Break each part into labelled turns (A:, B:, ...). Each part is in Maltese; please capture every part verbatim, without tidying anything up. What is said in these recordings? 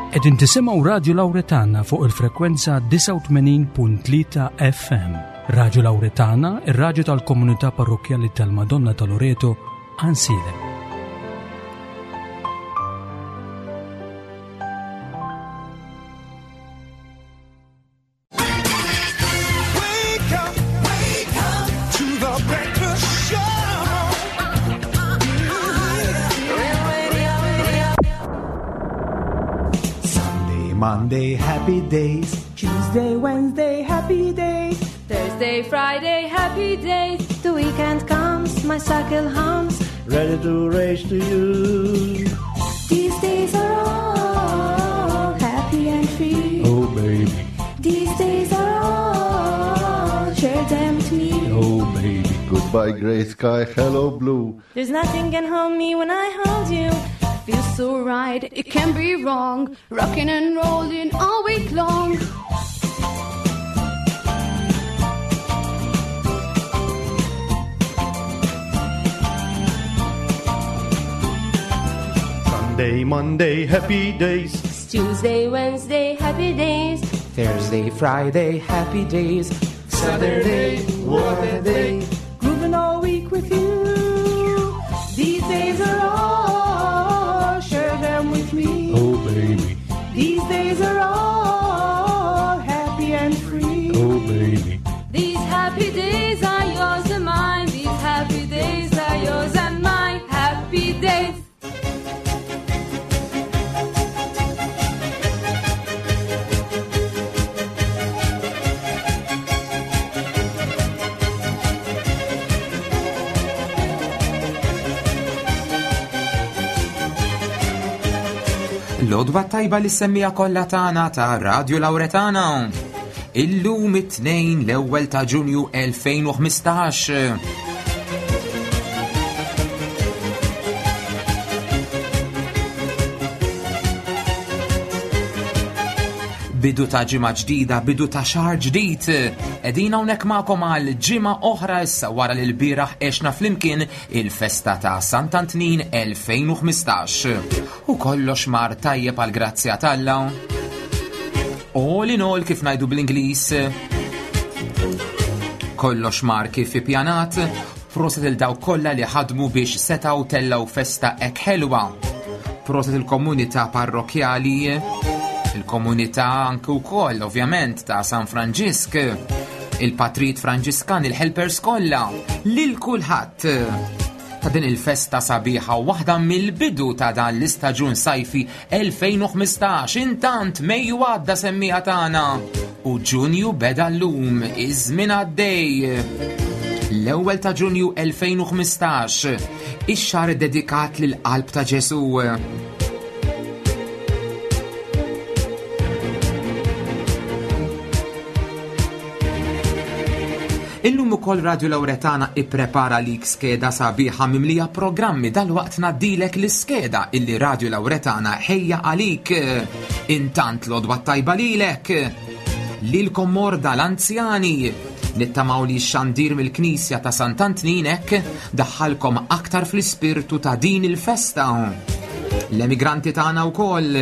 A: Qegħdin tisimgħu Radio Lauretana fuq il-frekwenza disgħa u tmenin punt tlieta F M. Radio Lauretana, ir-radju tal-komunità parrokkjali tal-Madonna ta' Loreto, Għajnsielem.
B: Monday, happy days.
C: Tuesday, Wednesday, happy days.
D: Thursday, Friday, happy days.
E: The weekend comes, my cycle hums.
B: Ready to race to you.
E: These days are all happy and free.
B: Oh, baby.
E: These days are all, share them with me.
B: Oh, baby.
F: Goodbye, grey sky, hello, blue.
E: There's nothing can hold me when I hold you.
D: Feels so right, it can't be wrong. Rocking and rolling all week long.
B: Sunday, Monday, happy days.
E: It's Tuesday, Wednesday, happy days.
G: Thursday, Friday, happy days.
B: Saturday, what a day.
C: Grooving all week with you. These days are all, share them with me.
B: Oh, baby.
C: These days are all happy and free.
B: Oh, baby.
D: These happy days are yours and mine. These happy days are yours and mine. Happy days.
G: L-għodwa tajba li semmija kollha tagħna ta' Radio Lauretana. Illum it-tnejn l-ewwel ta' Ġunju elfejn u ħmistax. Bidu ta' ġimgħa ġdida, bidu ta' xahar ġdid. Qegħdin hawnhekk magħkom għal ġimgħa oħra issa wara li l-bieraħ għexna flimkien il-festa ta' Sant'Antnin elfejn u ħmistax. U kollox mar tajjeb għal grazzja t'Alla. All in all kif ngħidu bl-Ingliż. Kollox mar kif ippjanat, proset il dawk kollha li ħadmu biex setgħu tellgħu festa hekk ħelwa. Proset il-komunità parrokjali, il-komunità anke wkoll ovvjament ta' San Franġisk, il-Patrit Franġiskan, il-helpers kollha, lil kulħadd ta' din il-festa sabiħa waħda mill-bidu ta' dan l-istaġun sajfi elfejn u ħmistax. Intant Mejju għadda semmija tagħna u Ġunju beda llum, iż-żmien għaddej. L-ewwel ta' Ġunju elfejn u ħmistax, ix-xahar dedikat lill-qalb ta' Ġesu. Illum ukoll Radio Lauretana ipprepara lik skeda sabiħa mimlija programmi. Dalwaqt ngħaddilek l-iskeda illi Radio Lauretana ħejja għalik. Intant l-għodwa tajba lilek, lilkom morda l-anzjani, nittamaw li x-xandir mill-Knisja ta' Sant'Antnin hekk daħħalkom aktar fl-ispirtu ta' din il-festa. L-emigranti tagħna wkoll,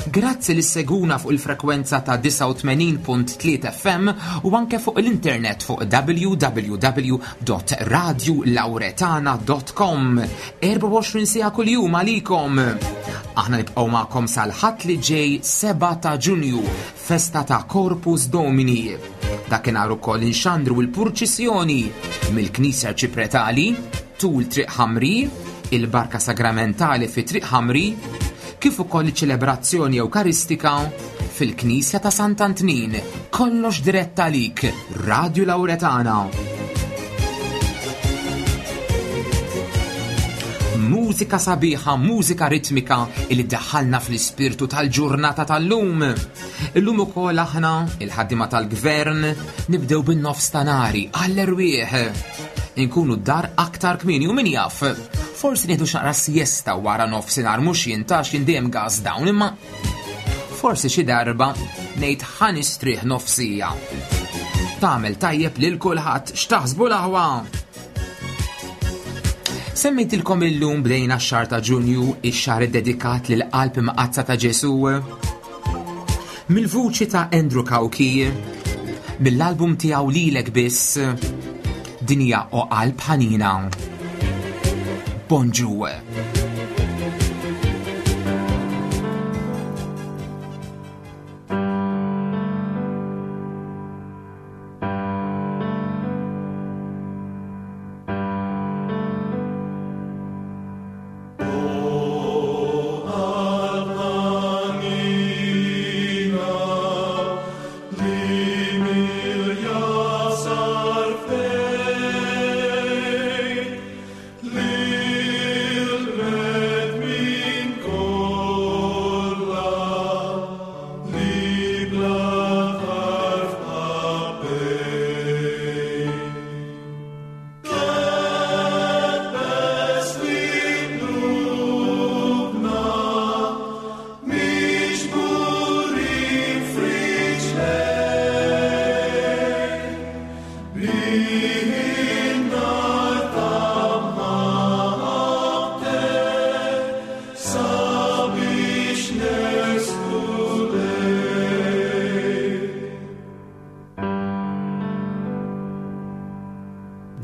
G: grazzi li seguna fuq il-frekwenza ta' disgħa u tmenin punt tlieta F M u anke fuq l-internet fuq w w w dot radio lauretana dot com. Erba' u għoxrin siegħa kuljum għalikom. Aħna nibqgħu magħkom sal-Ħadd li ġej seba' ta' Ġunju, festa ta' Corpus Domini. Dakinhar ukoll inxandru l-purċissjoni mill-Knisja Ċipretali tul Triq Ħamri, il-Barka Sagramentali fi Triq Ħamri, kif ukoll iċ-ċelebrazzjoni Ewkaristika fil-Knisja ta' Sant'Antnin. Kollox dirett għalik, Radio Lauretana. Mużika sabiħa, mużika ritmika illi daħħalna fl-ispirtu tal-ġurnata tal-lum. Illum ukoll aħna, il-ħaddiema tal-gvern, nibdew bin-nofs ta' nari għall-erwieħ. Inkunu d-dar aktar kmieni u min jaf, forsi nieħdu xaqra siesta wara nofsinhar, mhux jien tax jien dejjem gas down, imma forsi xi darba ngħid ħa nistrieħ nofsija. Tagħmel tajjeb lil kulħadd, x'taħsbu l-aħwa? Semmejtilkom illum bdejna x-xahar ta' Ġunju, ix-xahar iddedikat lil qalb imqaddsa ta' Ġesu. Mill-vuċi ta' Andrew Cauchi, mill-album tiegħu Lilek Biss, din hija O Qalb Ħanina. Bonġu.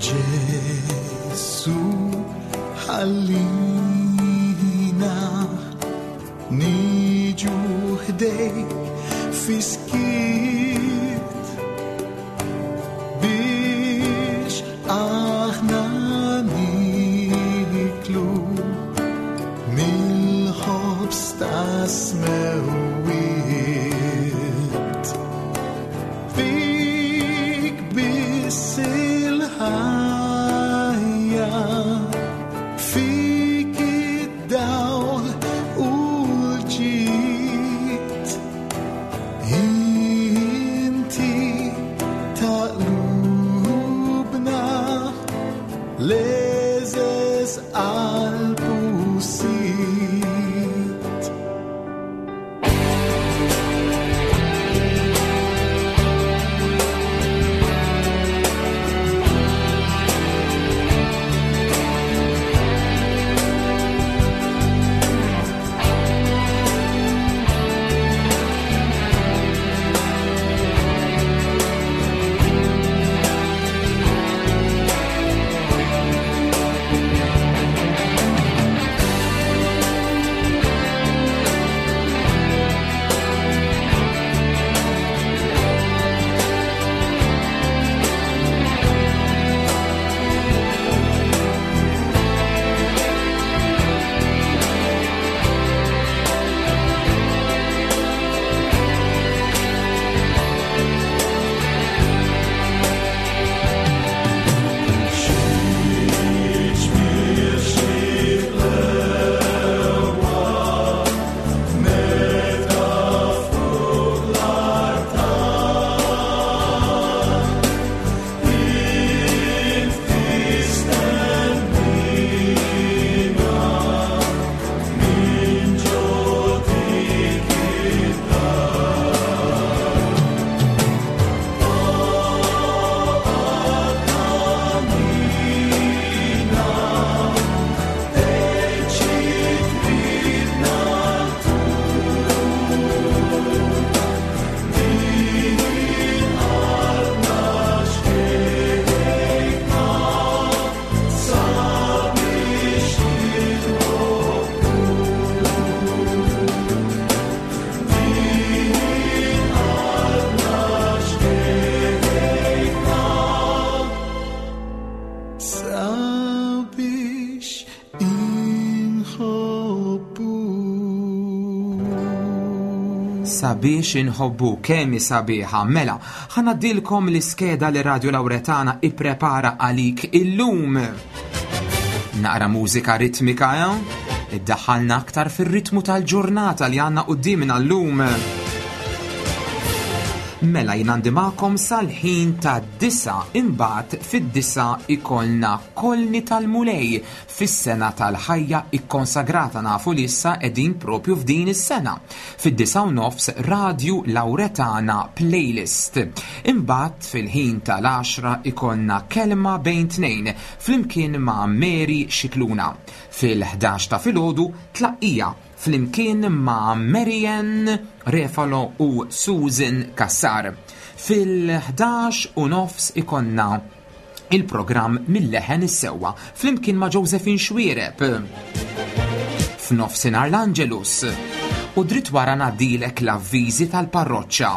H: Ġesù ħallina niġu ħdejk fis-skiet biex aħna niklu mill-ħobż tas-smewwiet. Fik biss il-ħajja, fik id-dawl u l-ġid. Inti ta' qlubna l-għeżież qalb u Sid. Sabiex inħobbu.
G: Sabiex inħobbu, kemm hi sabiħa. Mela, ħa ngħaddilkom l-iskeda li Radio Lauretana ipprepara għalik illum. Naqra mużika ritmika, eh? Iddaħħalna aktar fir-ritmu tal-ġurnata li għandna quddiemna llum. Mela jien għandi magħkom sal-ħin ta' disa, imbagħad fid-disa ikollna Kolni tal-Mulej fis-sena tal-ħajja ikkonsagrata, nafu li issa qegħdin propju f'din is-sena. Fid-disa u nofs Radio Lauretana Playlist. Imbagħad fil-ħin tal-għaxra ikollna Kelma Bejn Tnejn flimkien ma' Mary Scicluna. Fil-ħdax ta' filgħodu tlaqqija flimkien ma' Marianne Refalo u Susan Kassar. Fil-ħdax u nofs ikonna il-programm Mill-Leħen is-Sewwa flimkien ma' Josephine Xwiereb. F'nofsinhar l-Angelus u dritt wara ngħaddilek l-avviżi tal-parroċċa.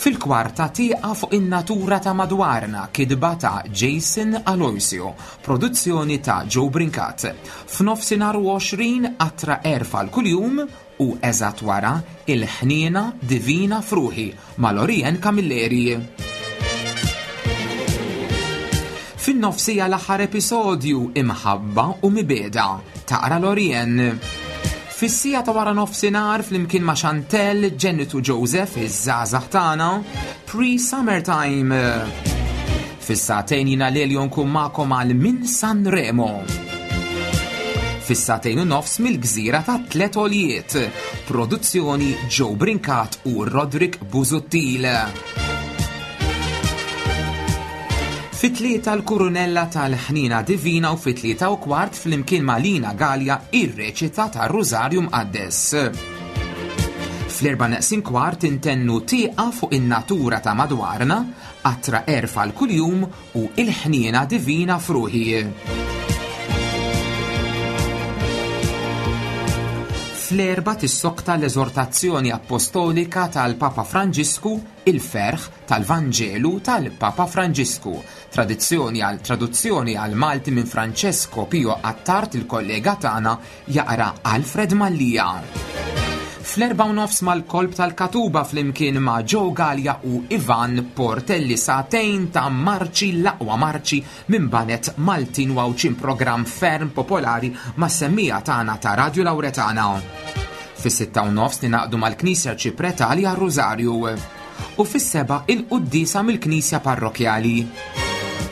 G: Fil-kwarta tieqa fuq in-natura ta' madwarna, kidba ta' Jason Aloisio, produzzjoni ta' Joe Brincat. F'nofsinhar u għoxrin qatra erfa l-kuljum u eżatt wara il-ħniena divina fruħi ma' Lorien Camilleri. Fin-nofsija l-aħħar episodju Imħabba u Mibeda taqra Lorien. Fis-sija ta' wara nofsinhar flimkien ma' Chantel, Ġenitu Joseph, iż-żgħażagħ tagħna, Pre-Summertime. Fis-sagħtejn jiena Lelio nkun magħkom għal Min San Remo. Fis-sagħtejn u nofs mill-gżira ta' Tlet Oljiet, produzzjoni Joe Brincat u Roderick Busuttil. Fit-tlieta l-Kurunella tal-Ħnina Divina u fit-tlieta u kwart flimkien ma' Lina Gallia ir-reċita tar-Rużarju Mqaddes. Fl-erba' neqsin kwart intennu tieqa fuq in-natura ta' madwarna, qatra erfa l-kuljum u il-ħniena divina fruħi. Fl-erba' tissokta l-eżortazzjoni apostolika tal-Papa Franġisku, il-ferħ tal-Vanġelu tal-Papa Franġisku, tradizzjoni għal traduzzjoni għal Malti minn Francesco Pio Attard, il-kollega tagħna jaqra Alfred Mallia. Fl-erba' u nofs mal-kolb tal-Katuba flimkien ma' Joe Gallia u Ivan Portelli, sagħtejn ta' marċi, l-aqwa marċi minn banet Maltin u Għawdxin, programm ferm popolari ma' semmija tagħna ta' Radio Lauretana. Fis-sitta u nofs ninaqdu mal-Knisja Ċipretali għar-Rużarju u fis-seba' il-quddiesa mill-Knisja Parrokjali.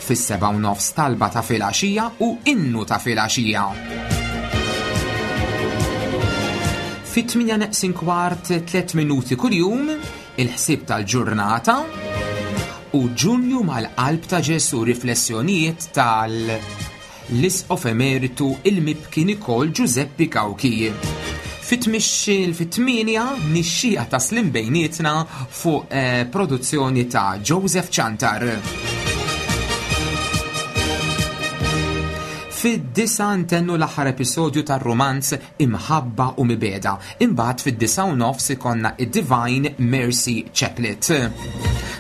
G: Fis-seba' u nofs talba ta' filgħaxija u innu ta' filgħaxija. Fit-tminja neqsin kwart tliet minuti kuljum, il-ħsieb tal-ġurnata u Ġunju mal-qalb ta' Ġesu, riflessjonijiet tal-Isqof Emeritu il-Mibki Nikol Giuseppe Cauchi. Fit-tminja nixxija ta' slim bejnietna fuq eh, produzzjoni ta' Joseph Chantar. Fid-disa ntennu l-aħħar episodju tar-romanz Imħabba u Mibeda. Imbagħad fid-disa u nofs ikonna id-Divine Mercy Chaplet.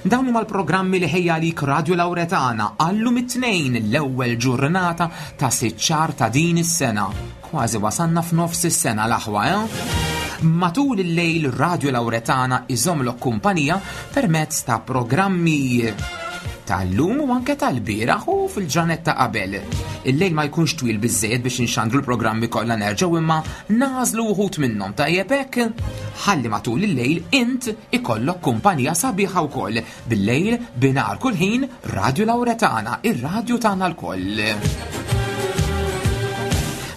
G: Dawn huma l-programmi li ħejja għalik Radio Lauretana għallum it-tnejn, l-ewwel ġurnata ta' sitt xahar ta' din is-sena. Kważi wasanna f'nofs is-sena l-aħwa, eh? Matul il-lejl Radio Lauretana iżomlok kumpanija permezz ta' programmi tal-lum u anke tal-bieraħ u fil-ġranet ta' qabel. Il-lejl ma jkunx twil biżżejjed biex inxandru l-programmi kollha nerġgħu, imma nażlu wħud minnhom tajjeb hekk. Ħalli matul il-lejl int ikollok kumpanija sabiħa wkoll. Bil-lejl binar kull ħin Radio Lauretana, ir-radju tagħna lkoll.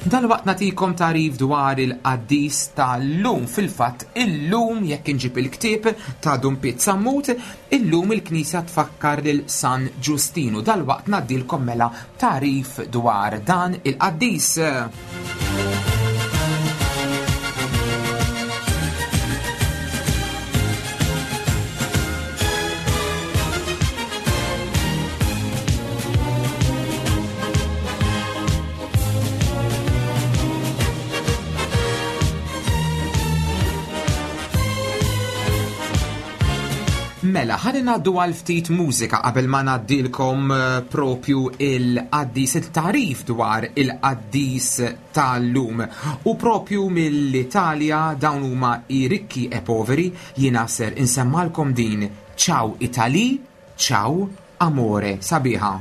G: Dalwaqt nagħtikom tarif dwar il-qaddis tal-lum. Fil-fatt illum jekk inġib il-ktieb ta' Dun Piet Sammut, illum il-Knisja tfakkar lil San Ġustinu. Dalwaqt ngħaddilkom mela tarif dwar dan il-qaddis. Mela, ħalli ngħaddu għal ftit mużika qabel ma ngħaddilkom propju il-qaddis, il-tarif dwar il-qaddis tal-lum. U propju mill-Italja dawn huma i rikki e poveri, jiena ser insemmalkom din Ciao Italy, Ciao Amore, sabiħa.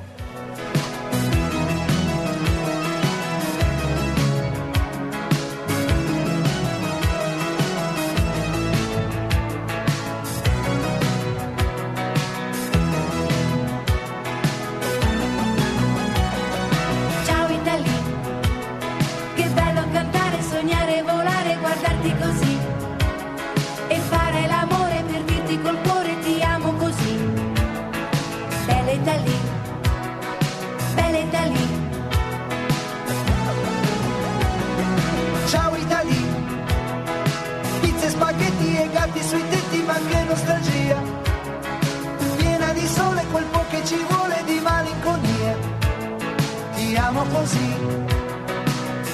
I: Col cuore ti amo così, bella Italia.
H: Ma che nostalgia, piena di sole, quel po' che ci vuole di malinconia. Ti amo così,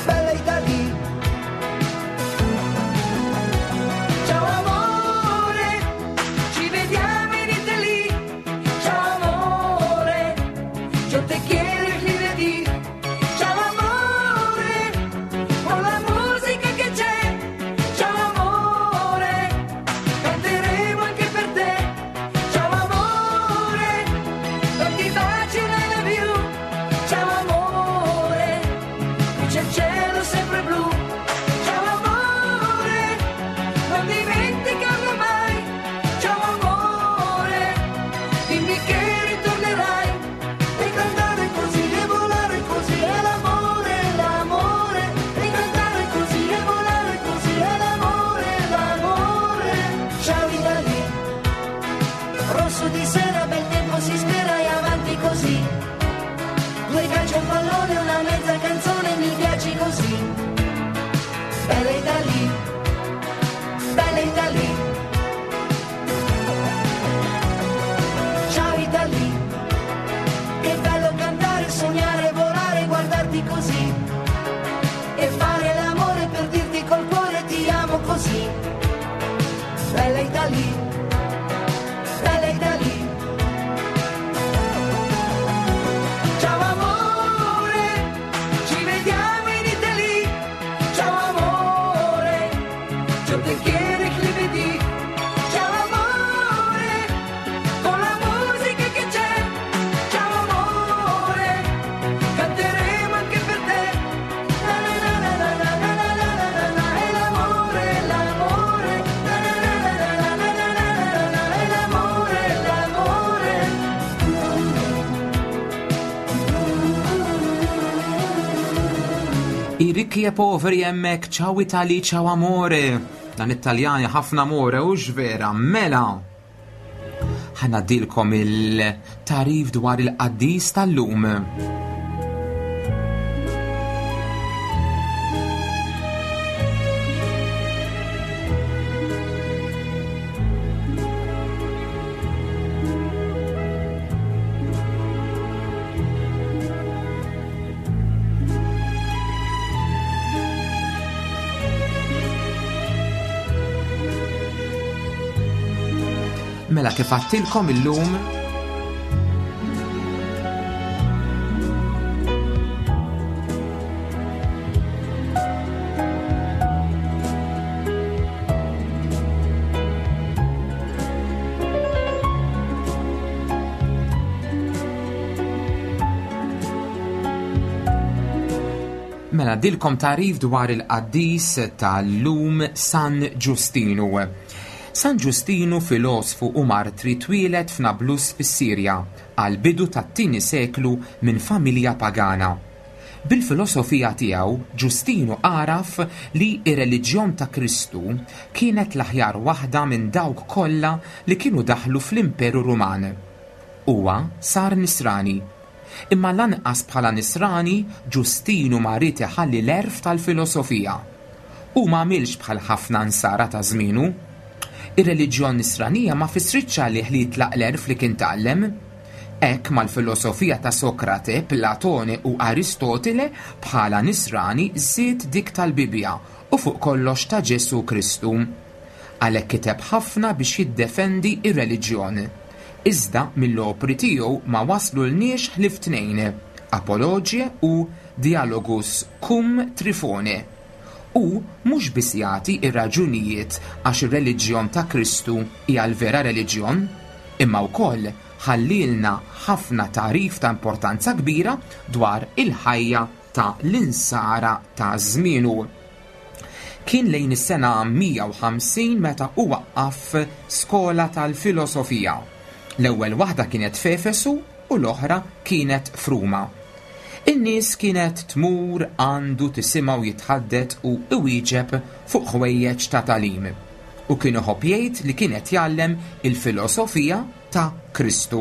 H: bella Italia. Ciao amore,
C: ci vediamo in Italia. Ciao amore, yo te quiero y lunedì. Ciao amore, con la musica che c'è. Ciao amore, canteremo anche per te. Ciao amore, tanti baci and I love you. Ciao amore, qui c'è il cielo sempre blu. Ciao amore, non dimenticarlo mai. Ciao amore, dimmi che ritornerai.
H: E cantare così e volare così è l'amore, l'amore. E cantare così e volare così è l'amore, l'amore.
I: Ciao Italia, rosso di sera, bel tempo si spera e avanti così. Due calci, un pallone, una mezza canzone, mi piaci così. Bella Italia, bella Italia. Ciao Italia, che bello cantare, sognare, volare, guardarti così. E fare l'amore per dirti col cuore ti amo così. Bella Italia, bella Italia.
C: Ciao amore, ci vediamo in Italia. Ciao amore, yo te quiero y lunedì. Ciao amore, con la musica che c'è. Ciao amore, canteremo anche per te. Na na na na na na na na na na na, è l'amore, l'amore. Na na na na na na na na na na, è l'amore, l'amore.
G: I ricchi e poveri hemmhekk, ciao Italy, ciao amore. Dan it-Taljani ħafna amore u vera, mela. Ħa ngħaddilkom il-tagħrif dwar il-qaddis tal-lum. Mela kif għedtilkom illum Mela ngħaddilkom tagħrif dwar il-qaddis tal-lum San Ġustinu. San Ġustinu filosfu u martri twieled f'Nablus fis-Sirja għal bidu tat-tieni seklu minn familja pagana. Bil-filosofija tiegħu Ġustinu għaraf li ir-reliġjon ta' Kristu kienet l-aħjar waħda minn dawk kollha li kienu daħlu fl-Imperu Ruman. Huwa sar Nisrani. Imma lanqas bħala Nisrani Ġustinu ma ried iħalli l-għerf tal-filosofija. U ma għamilx bħal ħafna nsara ta' żmienu. Ir-reliġjon nisranija ma fissritx għalih li jitlaq l-għerf li kien tgħallem. Hekk mal-filosofija ta' Sokrate, Platone u Aristotele bħala Nisrani żied dik tal-Bibja u fuq kollox ta' Ġesu Kristu. Għalhekk kiteb ħafna biex jiddefendi ir-reliġjon. Iżda mill-opri tiegħu ma waslu lniex ħlief tnejn, Apologie u Dialogus cum Trifone. U mhux biss jagħti ir-raġunijiet għax ir-reliġjon ta' Kristu hija l-vera reliġjon, imma wkoll ħallilna ħafna tagħrif ta' importanza kbira dwar il-ħajja ta' l-insara ta' żmienu. Kien lejn is-sena mija u ħamsin meta hu waqqaf skola tal-filosofija. L-ewwel waħda kienet f'Efesu u l-oħra kienet f'Ruma. In-nies kienet tmur għandu tisimgħu jitħaddet u iwieġeb fuq ħwejjeġ ta' tagħlim. U kien iħobb jgħid li kienet jgħallem il-filosofija ta' Kristu.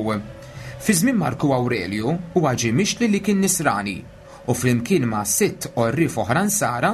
G: Fi żmien Marku Aurelju huwa ġie mixli li kien Nisrani u flimkien ma' sitt għorrief oħra nsara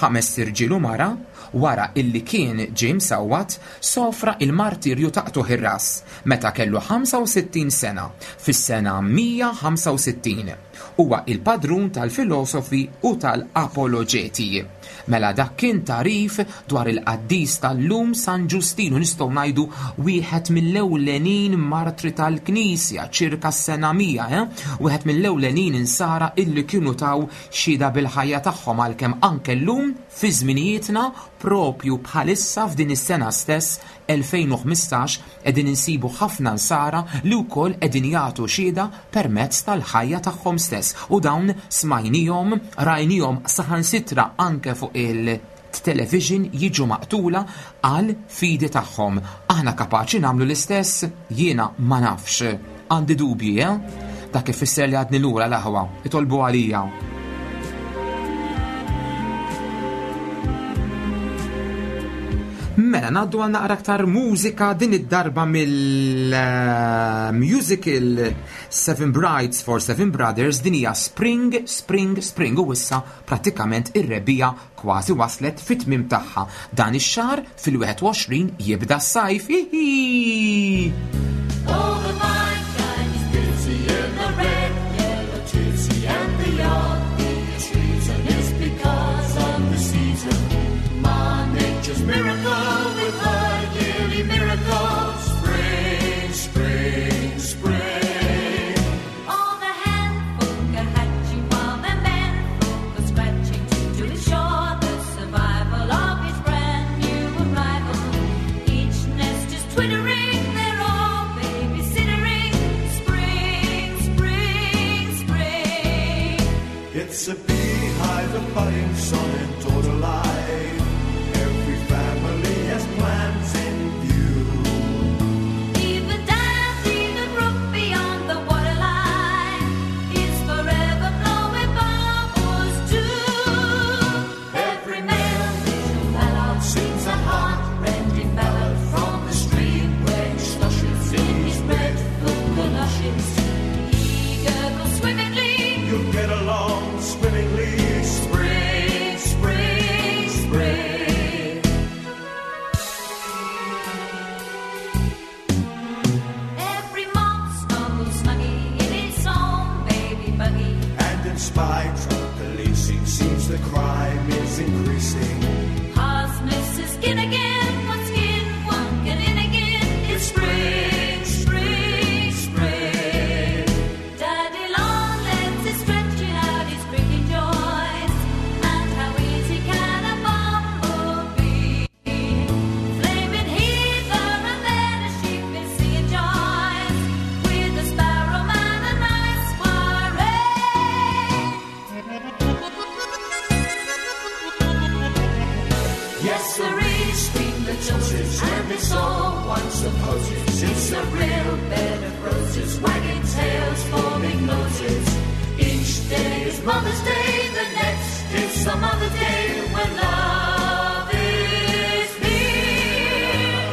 G: ħames irġiel u mara, wara illi kien ġie msawwat, sofra il-martirju ta' qtugħ ir-ras meta kellu ħamsa u sittin sena fis-sena mija ħamsa u sittin. Huwa il-padrun tal-filosofi u tal-apologeti. Mela dak kien tarif dwar il-qaddis tal-lum San Ġustinu, nistgħu ngħidu wieħed mill-ewlenin martri tal-Knisja ċirka s-sena mija, eh? Wieħed mill-ewlenin insara illi kienu taw xhieda bil-ħajja tagħhom, għalkemm anke llum fi żminijietna propju bħalissa f'din is-sena stess elfejn u ħmistax qegħdin insibu ħafna nsara li wkoll qegħdin jagħtu xhieda permezz tal-ħajja tagħhom stess. U dawn smajnihom, rajnihom saħansitra anke fuq il-television jiġu maqtula għal fidi tagħhom. Aħna kapaċi nagħmlu l-istess? Jiena ma nafx. Għandi dubji, eh? Dak ifisser li għadni lura l-aħwa. Itolbu għalija. Mela, ngħaddu għal naqra aktar mużika, din id-darba mill-musical Seven Brides for Seven Brothers. Din hija Spring, Spring, Spring, u issa prattikament ir-rebbiegħa kważi waslet fit-tmiem tagħha. Dan ix-xahar fil-wieħed u għoxrin jibda s-sajf. Hihi!
J: All the mankind is busy in the red, yellow, gypsy and the obvious reason is because of the season. Ma nature's miracle with her yearly miracle. Spring, spring, spring.
D: All the hen folk are hatching while the men folk are scratching to ensure the survival of each brand new arrival. Each nest is twittering, they're all babysitting. Spring, spring, spring.
B: It's a beehive of budding son and daughter life. Every family has plans in view.
D: Even Dandy, the brook beyond the waterline, is forever blowing bubbles too.
J: Every male little mallard sings a heart-rending ballad from the stream where he sloshes in his breadfruit galoshes.
D: He gurgles swimmingly.
B: You'll get along swimmingly.
J: Spring, spring, spring.
D: Every moth snuggles snuggy in its own baby buggy.
B: And in spite of policing, seems the crime is increasing.
D: Cause Missus Skin again, one skin, one get in again. It's spring, spring, spring. Daddy Longlegs is stretching out his creaking joints. And how easy can a bumblebee? Flaming heather and then a sheep is singing joys. With a sparrow man a nice soiree.
J: Yes, sirree, scream the judges, and it's all one supposes. It's a real bed of roses, wagging tails, forming noses. Each day is Mother's Day, the next is some other day when love is here.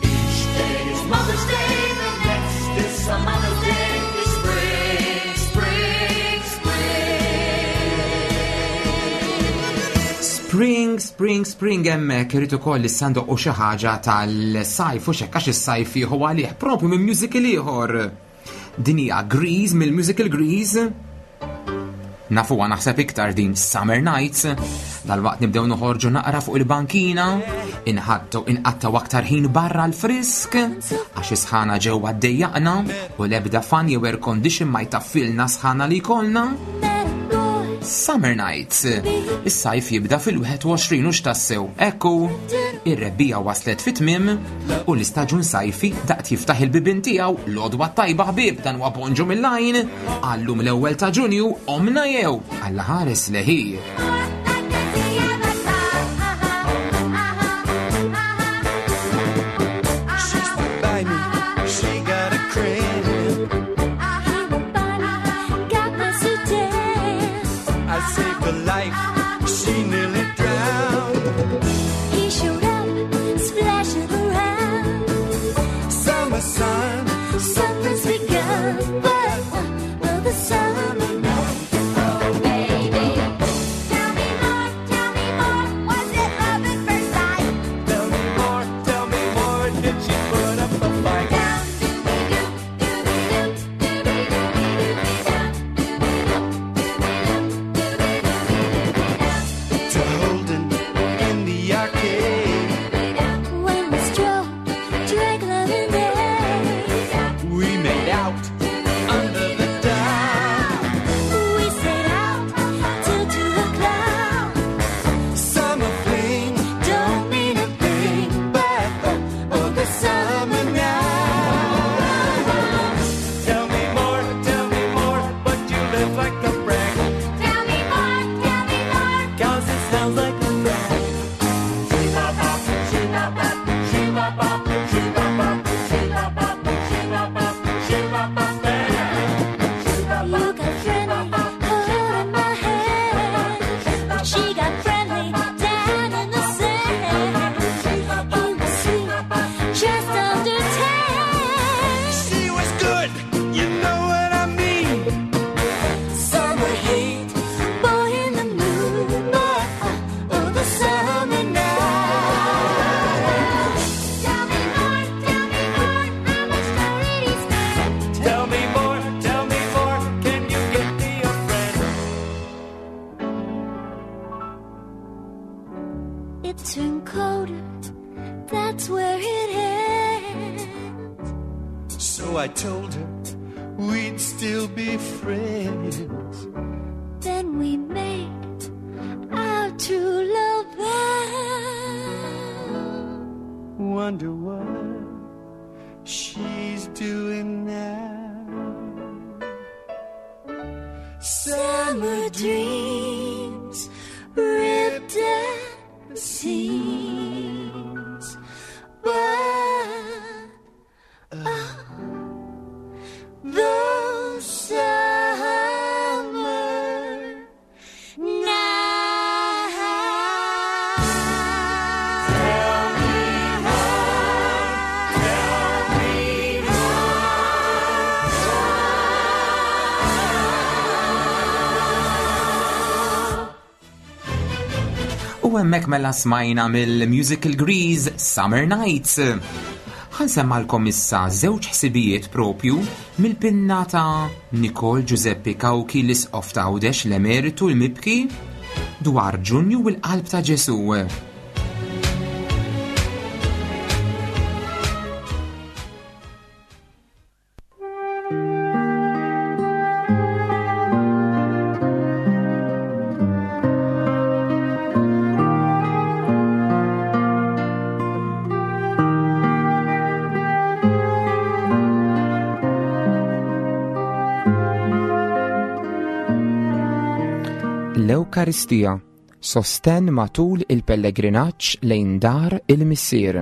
J: Each day is Mother's Day, the next is some other day. It's spring, spring, spring.
G: Spring, spring, spring, hemmhekk irid ukoll issa ndoqqu xi ħaġa tal-sajf u x'hekk, għax is-sajf jieħu għalih propju minn musical ieħor. Din hija Grease, mill-musical Grease. Nafuha naħseb iktar din Summer Nights. Dalwaqt nibdew noħorġu naqra fuq il-bankina, inħattu inqattaw aktar ħin barra l-frisk, għax is-sħana ġewwa ddejjaqna u l-ebda fan jew air condition ma jtaffilna sħana li jkollna. Summer Nights. Is-sajf jibda fil-wieħed u għoxrin u x'tassew. Ekku, ir-rebbiegħa waslet fit-tmiem u l-istaġun sajfi daqt jiftaħ il-bibien tiegħu. L-għodwa tajba ħbieb, dan huwa Bonġu mill-Għajn. Għallum l-ewwel ta' Ġunju, omna jew Alla ħares leħi.
H: By me, she got a crib. I saved her life, she nearly drowned.
E: He showed up, splashing around.
H: Summer sun,
E: something's begun, but will the summer night?
D: Oh, baby, It turned colder, that's where it ends.
H: So I told her we'd still be friends.
D: Then we made our true love vow.
H: Wonder what she's doing now.
D: Summer dreams ripped at the seams, but oh, those summer nights.
B: Tell me how, tell me how.
G: U hemmhekk mela smajna mill-musical Grease Summer Nights. Ħa nsemmalkom issa żewġ ħsibijiet propju mill-pinna ta' Nicole Giuseppe Cauchi, l-Isqof ta' Għawdex l-Emeritu l-Mibki, dwar Ġunju u l-qalb ta' Ġesu. L-Ewkaristija, sosten matul il-pellegrinaġġ lejn dar il-Missier.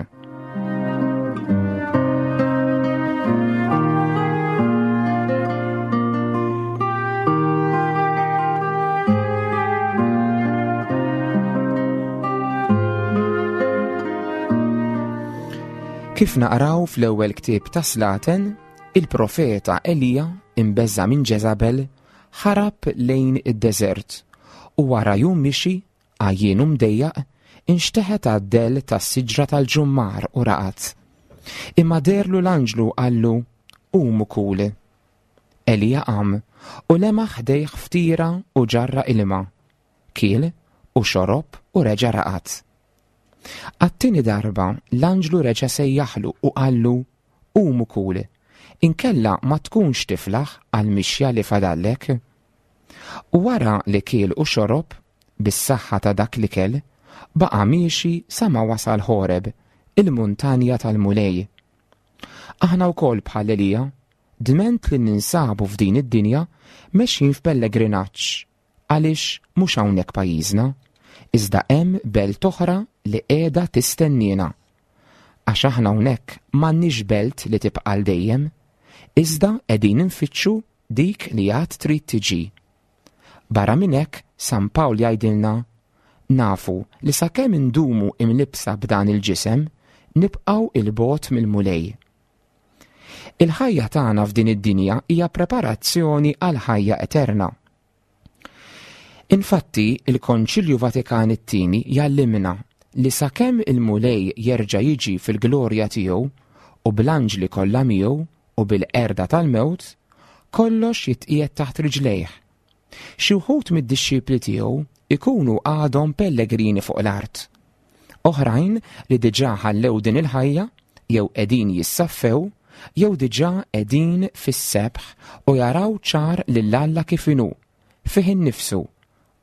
G: Kif naqraw fl-ewwel ktieb ta' Slaten, il-profeta Elija, imbeżza minn Ġeżabel, ħarab lejn id-deżert u wara jum mixi, għajjien u mdejjaq, inxteħet għad-dell tas-siġra tal-ġummar u raqat. Imma derlu l-anġlu qallu, "Qum u kul." Elija qam u lemaħ ħdejh ftira u ġarra ilma. Kiel u xorob u reġa' raqat. Għat-tieni darba l-anġlu reġa' sejjaħlu u qallu, "Qum u kul, inkella ma tkunx tiflaħ għall-mixja li fadallek." U wara li kiel u xorob, bis-saħħa ta' dak li kell, baqa' miexi sa ma wasal Ħoreb, il-muntanja tal-Mulej. Aħna wkoll bħal Elija, dment li ninsabu f'din id-dinja, mexjin f'pellegrinaġġ, għaliex mhux hawnhekk pajjiżna, iżda hemm belt oħra li qiegħda tistenniena. Għax aħna hawnhekk m'għandniex belt li tibqa' għal dejjem, iżda qegħdin infittxu dik li għad trid tiġi. Barra minn hekk, San Pawl jgħidilna, nafu li sakemm indumu imlibsa b'dan il-ġisem, nibqgħu il-bogħod mill-Mulej. Il-ħajja tagħna f'din id-dinja hija preparazzjoni għal ħajja eterna. Infatti, il-Konċilju Vatikan it-tieni jgħallimna li sakemm il-Mulej jerġa' jiġi fil-glorja tiegħu u bl-anġli kollha miegħu u bil-qerda tal-mewt, kollox jitqiegħed taħt riġlejh. Xi wħud mid-dixxipli tiegħu ikunu għadhom pellegrini fuq l-art. Oħrajn li diġà ħallew din il-ħajja jew qegħdin jissaffew jew diġà qegħdin fis-sebħ u jaraw ċar lil Alla kif inhu, fih innifsu,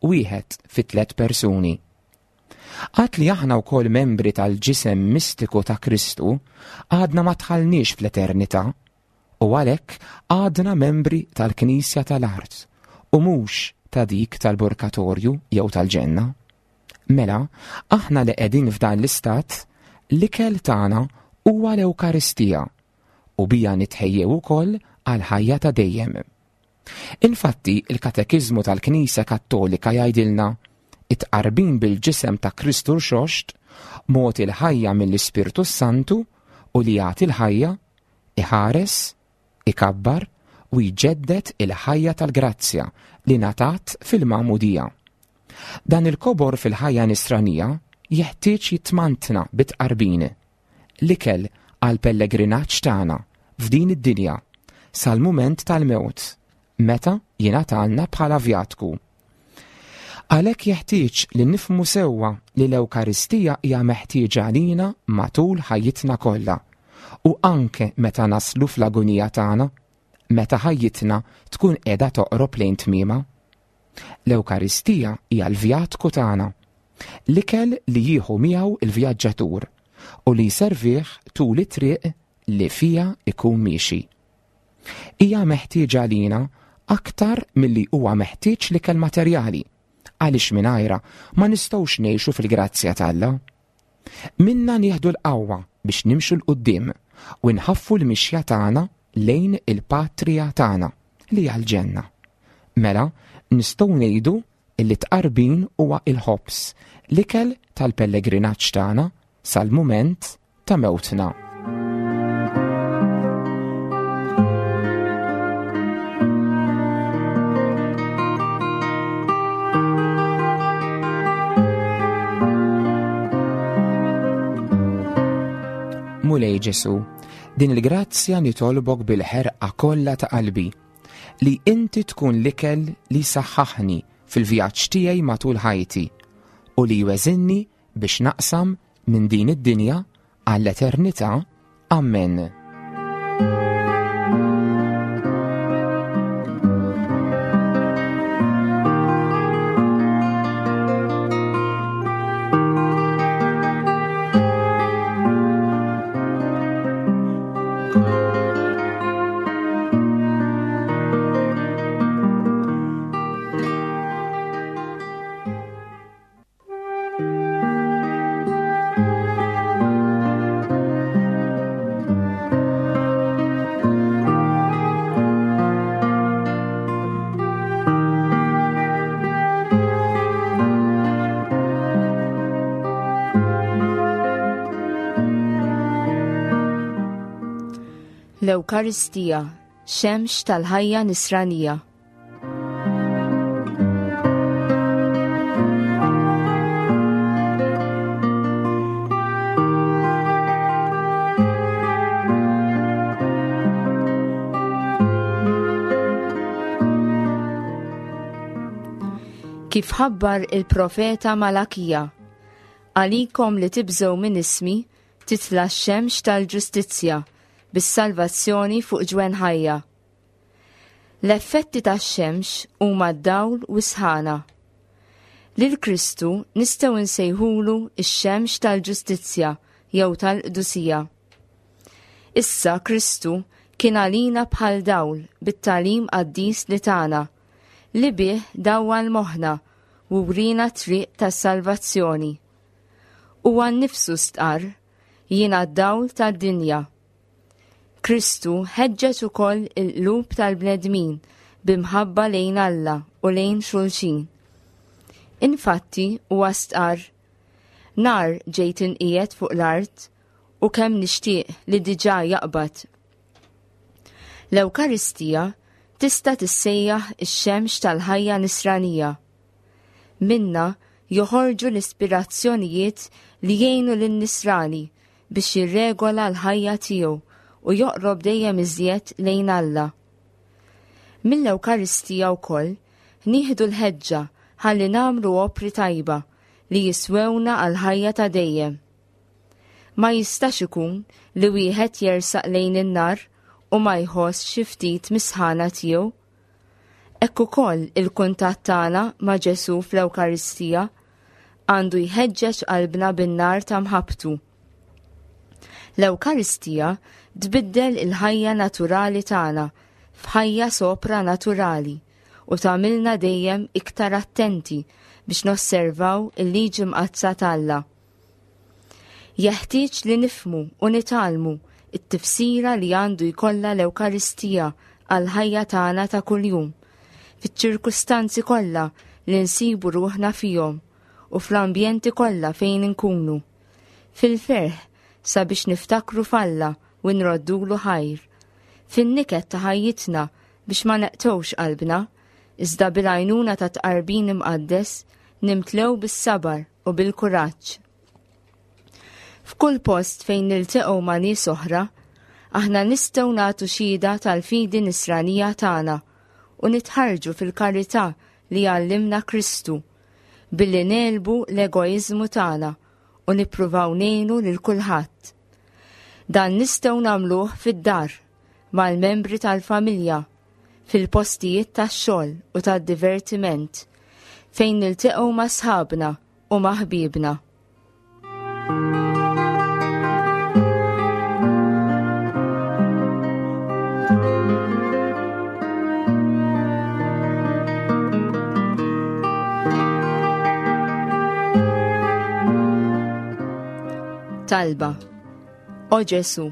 G: wieħed fi tliet persuni. Għad li aħna wkoll membri tal-ġisem mistiku ta' Kristu, għadna ma dħalniex fl-eternità u għalhekk għadna membri tal-Knisja tal-art u mhux ta' dik tal-purgatorju jew tal-ġenna. Mela, aħna li qegħdin f'dan l-istat, l-ikel tagħna huwa l-Ewkaristija u bija nitħejjew ukoll għal ħajja ta' dejjem. Infatti, il-Katekiżmu tal-Knisja Kattolika jgħidilna, it-tqarbin bil-ġisem ta' Kristu rxoxt, mod il-ħajja mill-Ispirtu Santu u li jagħti l-ħajja, iħares, ikabbar u jġeddet il-ħajja tal-grazzja li ngħatat fil-magħmudija. Dan il-kobor fil-ħajja nisranija jeħtieġ jitmantna bit-tqarbin, l-ikel għal pellegrinaġġ tagħna f'din id-dinja sal-mument tal-mewt, meta jingħatalna bħala vjatku. Għalhekk jeħtieġ li nifhmu sewwa li l-Ewkaristija hija meħtieġa għalina matul ħajjitna kollha u anke meta naslu fl-agonija tagħna, meta ħajjitna tkun qiegħda toqrob lejn tmiemha. L-Ewkaristija hija l-vjatku tagħna, l-ikel li jieħu miegħu il-vjaġġatur u li jservih tul it-triq li fiha ikun miexi. Hija meħtieġa għalina aktar milli huwa meħtieġ l-ikel materjali, għaliex mingħajrha ma nistgħux ngħixu fil-grazzja t'Alla. Minna nieħdu l-qawwa biex nimxu 'l quddiem u nħaffu l-mixja tagħna lejn il-patrija tagħna li hija l-ġenna. Mela nistgħu ngħidu li tqarbin huwa il-ħobż, l-ikel tal-pellegrinaġġ tagħna sal-mument ta' mewtna. Mulej Ġesu, din il-grazzja nitolbok bil-ħerqa kollha ta' qalbi, li inti tkun l-ikel li saħħaħni fil-vjaġġ tiegħi matul ħajti u li jweżinni biex naqsam minn din id-dinja għall-eternità. Amen.
K: L-Ewkaristija, xemx tal-ħajja nisranija. Kif ħabbar il-profeta Malakija, għalikom li tibżgħu minn ismi, titla' x-xemx tal-ġustizzja bis-salvazzjoni fuq ġwenħajja. L-effetti tax-xemx huma d-dawl u s-sħana. Lil Kristu nistgħu nsejħulu x-xemx tal-ġustizzja jew tal-qdusija. Issa Kristu kien għalina bħal dawl bit-tagħlim qaddis li tagħna, li bih dawwal moħħna u wrina triq tas-salvazzjoni. Huwa nnifsu stqarr, jiena d-dawl tad-dinja. Kristu ħeġġeġ ukoll il-qlub tal-bnedmin b'imħabba lejn Alla u lejn xulxin. Infatti huwa stqarr, nar ġejt inqiegħed fuq l-art u kemm nixtieq li diġà jaqbad. L-Ewkaristija tista' tissejjaħ ix-xemx tal-ħajja nisranija. Minna joħorġu l-ispirazzjonijiet li jgħinu lin-nisrani biex jirregola l-ħajja tiegħu u joqrob dejjem iżjed lejn Alla. Mill-Ewkaristija wkoll nieħdu l-ħeġġa ħalli nagħmlu opri tajba li jiswewna għal-ħajja ta' dejjem. Ma jistax ikun li wieħed jersaq lejn in-nar u ma jħoss xi ftit misħana tiegħu. Hekk ukoll il-kuntatt tagħna ma' Ġesu fl-Ewkaristija għandu jħeġġeġ qalbna bin-nar ta' mħabbtu. L-Ewkaristija tbiddel il-ħajja naturali tagħna f'ħajja sopranaturali u tagħmilna dejjem iktar attenti biex nosservaw il-liġi mqaddsa t'Alla. Jeħtieġ li nifhmu u nitgħallmu it-tifsira li għandu jkollha l-Ewkaristija għall-ħajja tagħna ta' kuljum, fiċ-ċirkustanzi kollha li nsibu ruħna fihom u fl-ambjenti kollha fejn inkunu. Fil-ferħ sabiex niftakru f'Alla u nroddulu ħajr. Fin-niket ta' ħajjitna biex ma neqtgħux qalbna, iżda bil-għajnuna ta' tqarbin imqaddes nimtlew bis-sabar u bil-kuraġġ. F'kull post fejn niltaqgħu ma' nies oħra, aħna nistgħu nagħtu xhieda tal-fidi nisranija tagħna u nitħarġu fil-karità li għallimna Kristu, billi negħlbu l-egoiżmu tagħna u nippruvaw ngħinu lil kulħadd. Dan nistgħu nagħmluh fid-dar, mal-membri tal-familja, fil-postijiet tax-xogħol u tad-divertiment, fejn niltaqgħu ma' sħabna u ma' ħbiebna. Talba. O Ġesu,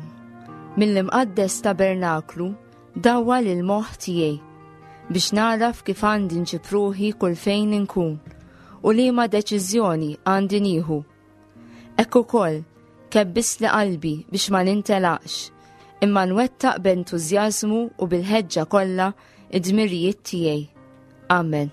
K: mill-imqaddes tabernaklu dawwal il-moħħ tiegħi biex naraf kif għandi nġib ruħi kull fejn inkun u liema deċiżjoni għandi nieħu. Hekk ukoll kebbisli qalbi biex ma nintelaqx, imma nwettaq b'entużjażmu u bil-ħeġġa kollha id-dmirijiet tiegħi. Amen.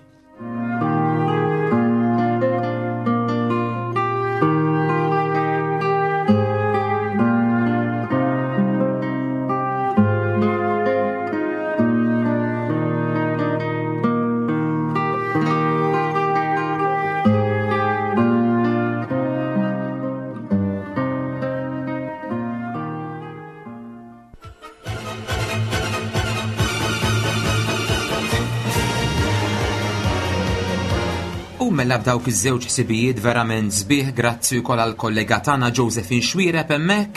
G: U mela b'dawk iż-żewġ ħsibijiet verament sbieħ, grazzi wkoll għall-kollega tagħna Josephine Xuereb hemmhekk,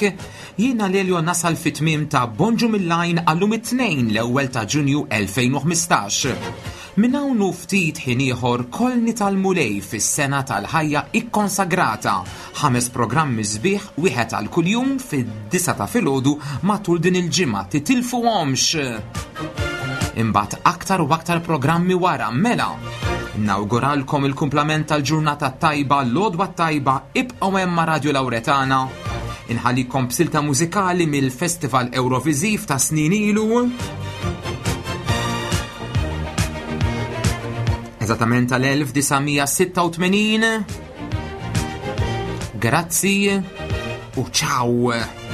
G: jiena Lelio nasal fit-tmiem ta' Bonġu mill-Għajn għallum it-Tnejn l-ewwel ta' Ġunju elfejn u ħmistax. Minn hawn u ftit ħin ieħor kollni tal-Mulej fis-sena tal-ħajja ikkonsagrata. Ħames programmi sbieħ, wieħed għal kuljum fid-disa ta' filgħodu matul din il-ġimgħa, titilfuhomx. Imbagħad aktar u aktar programmi wara, mela. Nawguralkom il-kumplament tal-ġurnata tajba, l-għodwa tajba, ibqgħu hemm ma' Radio Lauretana. Inħallikom b'silta mużikali mill-Festival Euroviżiv ta' snin ilu. Eżattament tal-elf disa' mija sitta u tmenin. Grazzi u ciao.